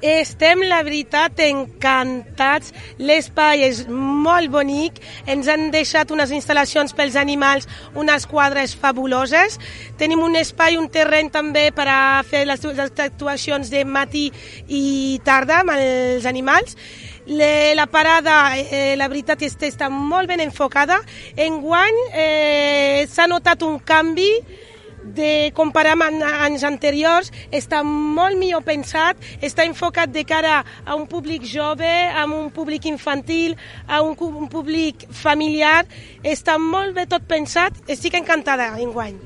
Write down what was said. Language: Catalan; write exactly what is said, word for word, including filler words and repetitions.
Estem, la veritat, encantats. L'espai és molt bonic. Ens han deixat unes instal·lacions pels animals, unes quadres fabuloses. Tenim un espai, un terreny també per a fer les actuacions de matí i tarda amb els animals. La parada, eh, la veritat, és que està molt ben enfocada. Enguany eh, s'ha notat un canvi de comparar amb anys anteriors, està molt millor pensat, està enfocat de cara a un públic jove, a un públic infantil, a un, un públic familiar, està molt bé tot pensat, estic encantada enguany.